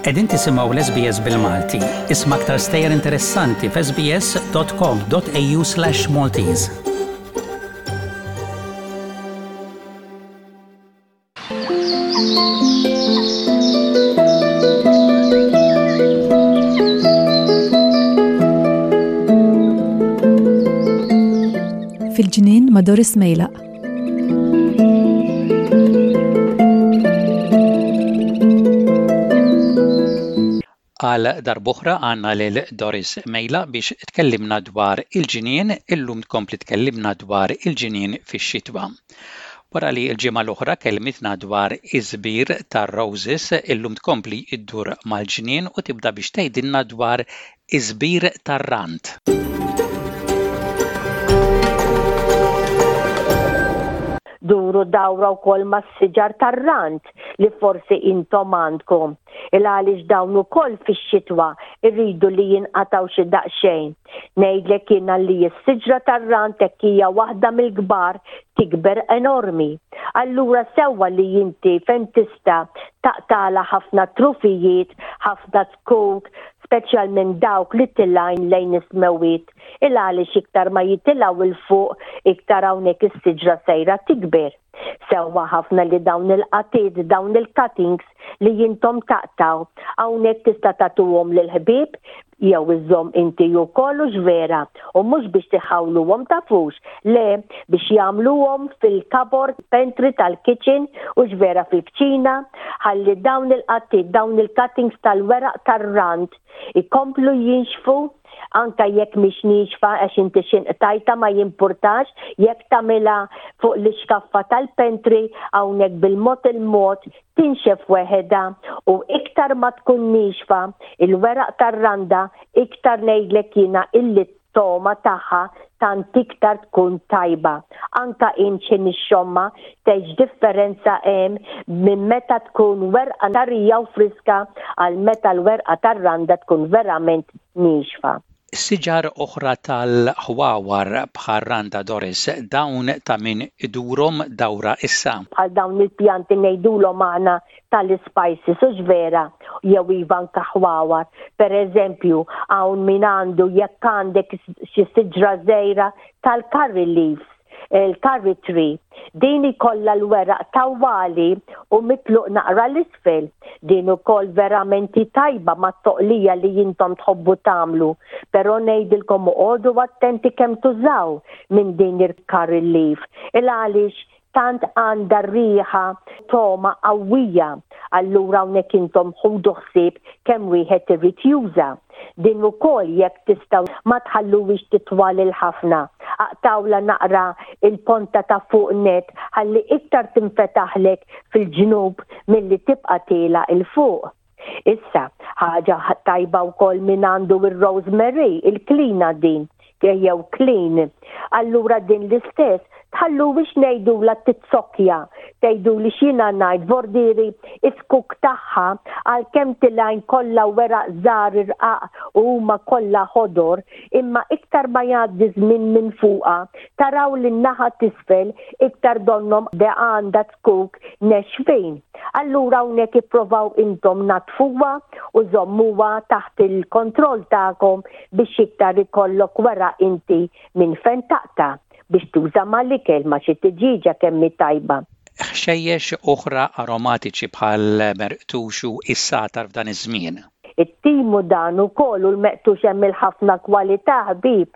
Qegħdin tisimgħu l-SBS bil-Malti. Isma' aktar stejjer interessanti f'sbs.com.au/Maltese. Fil-ġnien ma' Doris Mejlaq. Għal darb'oħra għandna lil Doris Mejla biex tkellimna dwar il-ġnien, illum tkompli tkellimna dwar il-ġnien fix-xitwa. Wara li l-ġimgħa l-oħra kellmitna dwar iż-żbir tar-roses, illum tkompli ddur mal-ġnien u tibda biex tgħidilna dwar iż-żbir tar-rand. Duru dawra wkoll mas-siġar tar-rand li forsi intom għandkom. Il għaliex dawn ukoll fix-xitwa jridu li jinqatgħu xi daqsxejn. Ngħidlek jiena li s-siġra tar-rand hekk hija waħda mill-kbar tikber enormi. Allura sewwa li inti fejn tista' taqtagħlha ħafna trufijiet, ħafna zkuk, speċjalment dawk li tilgħin lejn is-smewwiet. Il għaliex iktar ma jitilgħu 'l fuq iktar hawnhekk is-siġra sejra tikber. Sewwa ħafna li dawn il-qatiet, dawn il-cuttings li intom taqtgħu, hawnhekk tista' tagħtuhom lill-ħbieb jew iżżomm inti wkoll hux vera, u mhux biex tiħawluhom tafux, le, biex jagħmluhom fil-cupboard pantry tal-kitchen hux vera fil-kċina, ħalli dawn il-qatiet, dawn il-cuttings tal-weraq tar-rand ikomplu jinxfu Anke jekk mhix niexfa għax inti xi nqtajtha ma jimpurtax, jekk tagħmilha fuq l-ixkaffa tal-pantry hawnhekk bil-mod il-mod tinxef weħedha u iktar ma tkun niexfa il-weraq tar-randa iktar ngħidlek jiena illi t-togħma tagħha tant iktar tkun tajba. Anka int xi nixxomma tgħid x'differenza hemm minn meta tkun werqa tarija u friska għal meta l-werqa tar-randa tkun verament niexfa. Siġar oħra tal-ħwawar bħar-randa Doris, dawn ta' min idurhom dawra issa? Bħal dawn il-pjanti ngħidulhom aħna tal-ispices, hux vera? Jew iva anke ħwawar. Per eżempju, hawn min għandu jekk għandek xi siġra żgħira tal-curry leaves, il-curry tree. Din ikollha l-weraq tawwali u mitluq naqra 'l isfel. Din ukoll verament hi tajba mat-toqlija li intom tħobbu tagħmlu. Però ngħidilkom oqogħdu attenti kemm tużaw minn din il-curry leaf. Il għaliex tant għandha riħa togħma qawwija, allura hawnhekk intom ħudu ħsieb kemm wieħed irid juża. Din ukoll jekk tistgħu ma tħalluhiex titwal il ħafna. Aqtgħulha naqra il-ponta ta' fuq nett ħalli iktar tinfetaħlek fil-ġnub milli tibqa' tiela' 'il fuq. Issa, ħaġa tajba wkoll min għandu ir-rosemary, il-klina din, jew klin. Allura din l-istess, tħalluhiex ngħidulha titsokkja, tgħiduli x'jiena ngħid, vordieri is-zkuk tagħha għalkemm tilgħin kollha weraq żgħar irqaq u huma kollha ħodor, imma iktar ma jgħaddi żmien minn fuqha, taraw li n-naħa t'isfel iktar donnhom għandha zkuk nexfin. Allura hawnhekk ipprovaw intom naddfuha u żommuha taħt il-kontroll tagħkom biex iktar ikollok weraq inti minn fejn taqta' biex tuża mal-ikel ma' xi tiġieġa kemm hi tajba. Ħxejjex oħra aromatiċi bħal merqtux u s-sagħtar f'dan iż-żmien. It-timu dan ukoll u l-meqtux hemm il-ħafna kwalità ħbieb.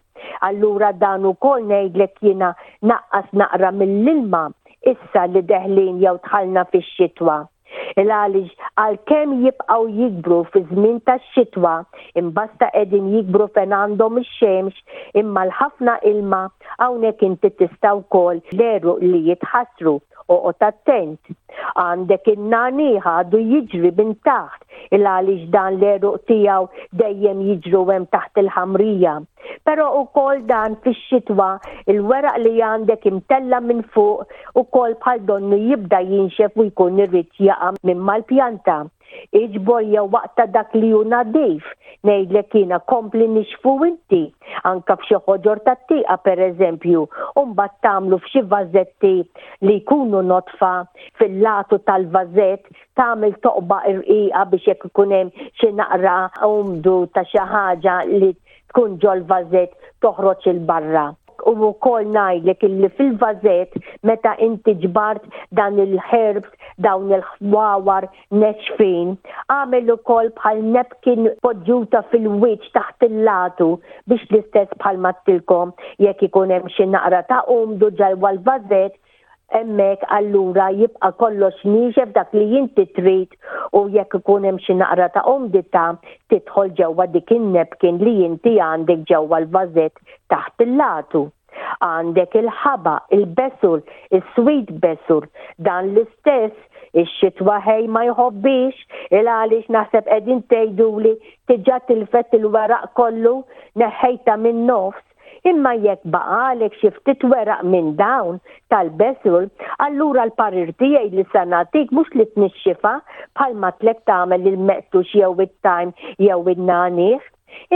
Allura dan ukoll ngħidlek jiena naqqas naqra mill-ilma issa li deħlin jew dħalna fix-xitwa. Il għaliex għalkemm jibqgħu jikbru fiż-żmien tax-xitwa, imbasta qegħdin jikbru fejn għandhom ix-xemx, imma l-ħafna ilma hawnhekk inti tista' wkoll l-għeruq li jitħassru, oqgħod attent. Għandek in-nagħniegħ għadu jiġri minn taħt, il għaliex dan l-għeruq tiegħu dejjem jiġru hemm taħt il-ħamrija. Però ukoll dan fix-xitwa il-weraq li għandek imtella' minn fuq ukoll bħal donnu jibda jinxef u jkun irid jaqa' minn mal-pjanta. Iġbor jew aqta' dak li hu nadif. Ngħidlek jiena kompli nixxfu inti, anke f'xi ħoġor tat-tieqa pereżempju, u mbagħad tagħmlu f'xi vażetti li jkunu nodfa fil-latu tal-vażett tagħmel toqba irqiqa biex jekk ikun hemm xi naqra umdu ta' xi ħaġa li tkun ġol-vażett toħroġ 'il barra. U wkoll ngħidlek illi fil-vażett meta inti ġbart dan il-herbs, dawn il-ħwawar nexfin, agħmel ukoll bħal napkin poġġuta fil-wiċċ taħt il-latu biex l-istess bħal m'għedtilkom jekk ikun hemm xi naqra ta' umdu ġewwa l-vażett hemmhekk allura jibqa' kollox niexef dak li inti trid u jekk ikun hemm xi naqra ta' umdità tidħol ġewwa dik in-napkin li inti għandek ġewwa l-vażett taħt il-latu. Għandek il-ħaba, il-basil, is-sweet basil, dan l-istess ix-xitwa ħej ma jħobbix il għaliex naħseb qegħdin tgħiduli diġà tilfet il-weraq kollu neħħejtha min-nofs. Imma jekk baqagħlek xi ftit weraq minn dawn tal-basil, allura l-parir tiegħi li se nagħtik mhux li tnixxifha bħalma tlek tagħmel il-meqtux jew it-thyme jew in-nagħniegħ,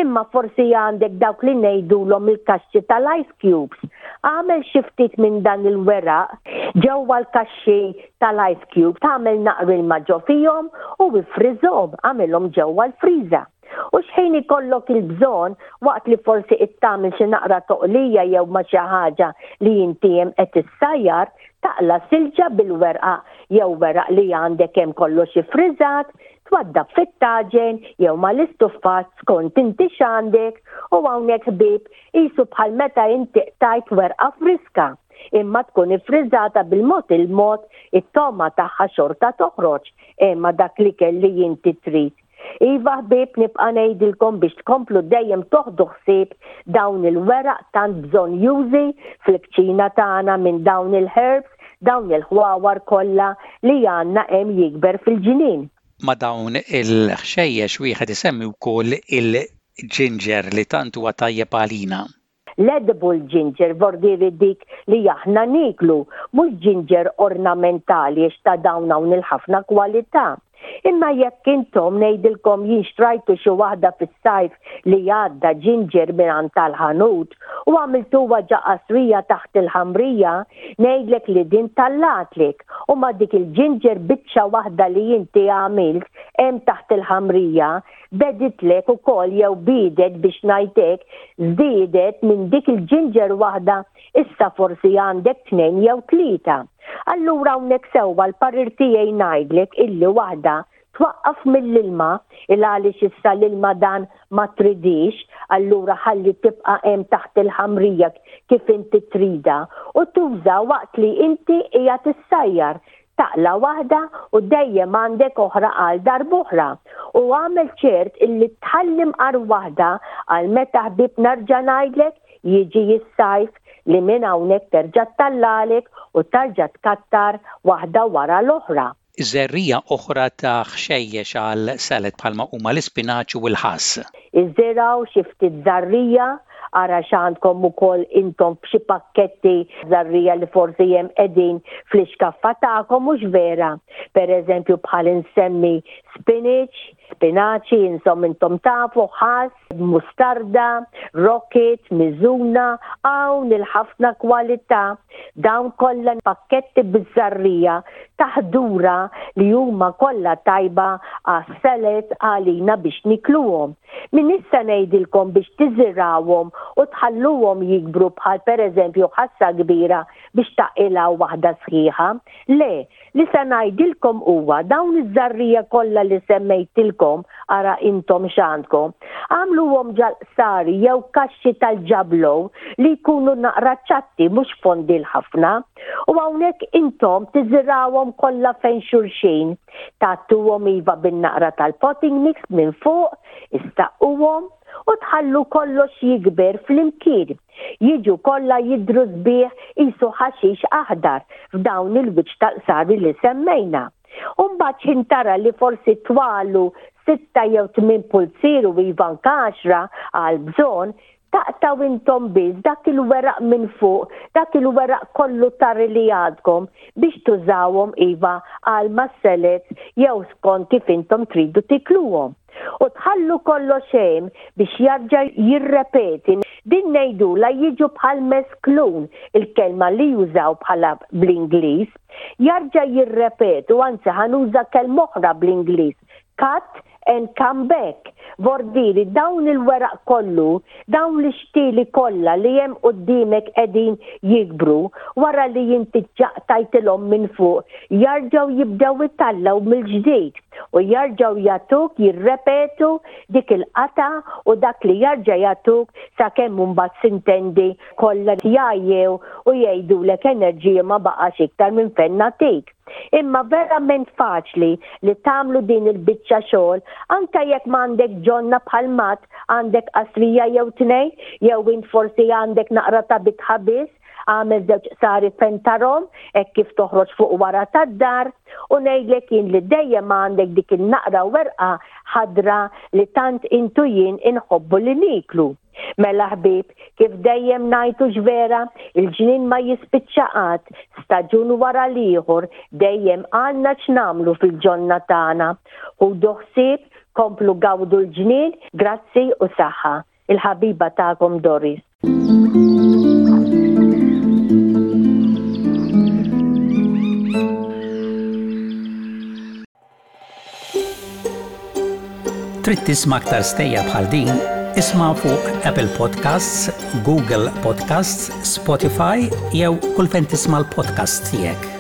imma forsi għandek dawk li ngħidulhom il-kaxxi tal-ice cubes. Agħmel xi ftit minn dan il-weraq ġewwa l-kaxxi tal-ice cubes, agħmel naqra ilma ġo fihom u iffriżhom, agħmilhom ġewwa l-friża. U x'ħin ikollok il-bżonn, waqt li forsi qed tagħmel xi naqra toqlija jew ma' xi ħaġa li inti hemm qed issajjar, taqla' silġa bil-werqa jew weraq li għandek hemm kollox iffriżat, twaddab fit-taġen jew mal-istuffat skont inti x'għandek u hawnhekk ħbieb qisu bħal meta inti qtajt werqa friska imma tkun iffriżata bil-mod il-mod it-togħma tagħha xorta toħroġ imma dak l-ikel li inti trid. Iva ħbieb nibqa' ngħidilkom biex tkomplu dejjem toħdu ħsieb dawn il-weraq tant bżonnjużi fil-kċina tagħna minn dawn il-herbs, dawn il-ħwawar kollha li għandna hemm jikber fil-ġnien. Ma' dawn il-ħxejjex wieħed isemmi wkoll il-ġinġer li tant huwa tajjeb għalina. L-edible ginger vordieri dik li aħna nieklu, mhux ginger ornamentali għax ta' dawn hawn il-ħafna kwalità. Imma jekk intom ngħidilkom jien xtrajtu xi waħda fis-sajf li għadda ginger mingħand tal-ħanut u għamiltuha ġa qasrija taħt il-ħamrija, ngħidlek li din tallgħatlek u ma' dik il-ginger biċċa waħda li inti għamilt hemm taħt il-ħamrija Beditlek ukoll jew biedet biex ngħid hekk, żdiedet minn dik il-ġinġer waħda issa forsi għandek tnejn jew tlieta. Allura hawnhekk sewwa l-parir tiegħi ngħidlek illi waħda twaqqaf mill-ilma il għaliex issa l-ilma dan ma tridhiex allura ħalli tibqa' hemm taħt il-ħamrija kif inti tridha u tuża waqt li inti qiegħed issajjar Taqla' waħda u dejjem għandek oħra għal darb'oħra. U agħmel ċert illi tħalli mqar waħda għal meta ħbieb nerġa' ngħidlek jiġi s-sajf li minn hawnhekk terġa' ttallagħlek u tarġa' tkattar waħda wara l-oħra. Żerriegħa oħra ta' ħxejjex għal salad bħalma huma l-ispinaċ u l-ħass. Iżirgħu xi ftit żarrija, ara x'għandkom ukoll intom f'xi pakketti żarrija li forsi hemm qegħdin fl-ixkaffa tagħkom mhux vera. Pereżempju bħal insemmi spinach, spinaċi, insom intom tafu, ħass, mustarda, rocket, miżuna, hawn il-ħafna kwalità. Dawn kollha pakketti biż-żarrija ta' ħdura li huma kollha tajba għas-salads għalina biex nikluhom. Minn issa ngħidilkom biex tiżirgħuhom u tħalluhom jikbru bħal pereżempju ħassa kbira biex taqilgħu waħda sħiħa. Le, li se ngħidilkom huwa dawn iż-żarrija kollha li semmejtilkom, ara intom x'għandkom, agħmluhom ġal-qsari jew kaxxi tal-ġablow li jkunu naqra ċatti mhux fondil ħafna. U hawnhekk intom tiżirgħuhom kollha fejn xulxin. Tgħattuhom iva bin-naqra tal-potting mix minn fuq, issaqquhom u tħallu kollox jikber flimkien. Jiġu kollha jidhru sbieħ qisu ħaxix aħdar f'dawn il-wiċċ tal-qsari li semmejna. U mbagħad x'ħin tara li forsi twalu sitta jew tmien pulzier u iva anke għaxra għall-bżonn, Taqtgħu intom biss dak il-weraq minn fuq, dak il-weraq kollu tari li għadkom biex tużawhom iva għal mas-salads jew skont kif intom tridu tikluhom. U tħallu kollox hemm biex jarġa' jirrepeti. Din ngħidulha jiġu bħal mesklun, il-kelma li jużaw bħala bl-Ingliż. Jarġa' jirrepetu, anzi ħa nuża kelma oħra bl-Ingliż, cut and come back. Vordiri dawn il-weraq kollu, dawn l-ixtieli kollha li hemm quddiemek qegħdin jikbru, wara li inti ġaqtajtilhom minn fuq, jarġgħu jibdew itallgħu mill-ġdid u jarġgħu jagħtuk jirrepetu dik il-qatgħa u dak li jarġa' jagħtuk sakemm imbagħad sintendi kollha jgħajjew u jgħidulek enerġija ma baqax iktar minn fejn nagħtik. Imma verament faċli li tagħmlu din il-biċċa xogħol anke jekk m'għandek ġonna bħal mat għandek qasrija jew tnejn jew int forsi għandek naqra ta' bitħa biss, għamel żewġ qsari fejn tarhom hekk kif toħroġ fuq wara tad-dar u ngħidlek jien li dejjem għandek dik in-naqra werqa ħadra li tant int u jien inħobbu li nieklu. Mela ħbieb, kif dejjem ngħid hux vera, il-ġnien ma jispiċċa qatt, staġun wara l-ieħor dejjem għandna x'nagħmlu fil-ġonna tagħna. Ħudu ħsieb, komplu gawdu l-ġnien, grazzi u saħħa. Il-ħabiba tagħkom Doris. Trid tisma' aktar stejjer bħal din? Isma' fuq Apple Podcasts, Google Podcasts, Spotify jew kull fejn tisma' l-podcasts tiegħek.